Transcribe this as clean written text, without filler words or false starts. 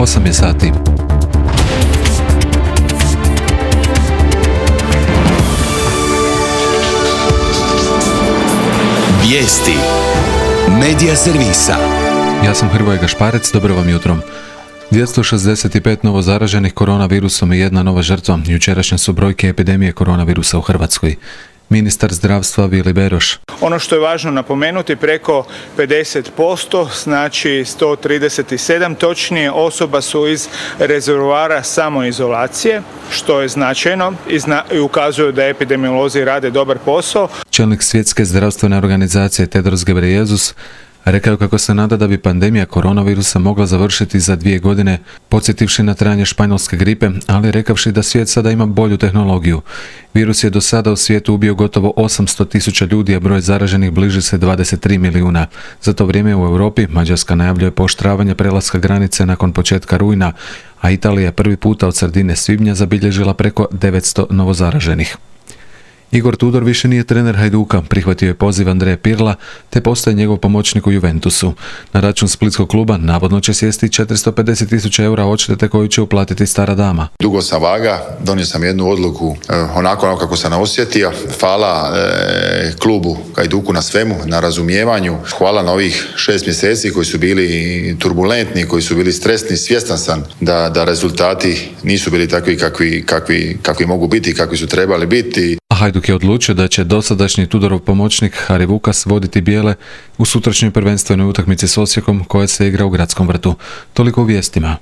8 je sati. Vijesti Medija servisa. Ja sam Hrvoje Gašparec, dobro vam jutro. 265 novo zaraženih koronavirusom i jedna nova žrtva. Jučerašnje su brojke epidemije koronavirusa u Hrvatskoj. Ministar zdravstva Vili Beroš. Ono što je važno napomenuti, preko 50%, znači 137 točnije osoba su iz rezervoara samoizolacije, što je značajno i ukazuje da epidemiolozi rade dobar posao. Čelnik Svjetske zdravstvene organizacije Tedros Ghebreyesus rekao kako se nada da bi pandemija koronavirusa mogla završiti za 2 godine, podsjetivši na trajanje španjolske gripe, ali rekavši da svijet sada ima bolju tehnologiju. Virus je do sada u svijetu ubio gotovo 800.000 ljudi, a broj zaraženih bliži se 23 milijuna. Za to vrijeme u Europi Mađarska najavljuje pooštravanje prelaska granice nakon početka rujna, a Italija prvi puta od sredine svibnja zabilježila preko 900 novozaraženih. Igor Tudor više nije trener Hajduka, prihvatio je poziv Andreja Pirla, te postaje njegov pomoćnik u Juventusu. Na račun splitskog kluba navodno će sjesti 450.000 eura odštete koju će uplatiti stara dama. Dugo sam vaga, donio sam jednu odluku onako kako sam osjetio. Hvala klubu Hajduku na svemu, na razumijevanju. Hvala na ovih 6 mjeseci koji su bili turbulentni, koji su bili stresni. Svjestan sam da rezultati nisu bili takvi kakvi mogu biti, kakvi su trebali biti. Hajduk je odlučio da će dosadašnji Tudorov pomoćnik Hari Vukas voditi bijele u sutrašnjoj prvenstvenoj utakmici s Osijekom koja se igra u Gradskom vrtu. Toliko u vijestima.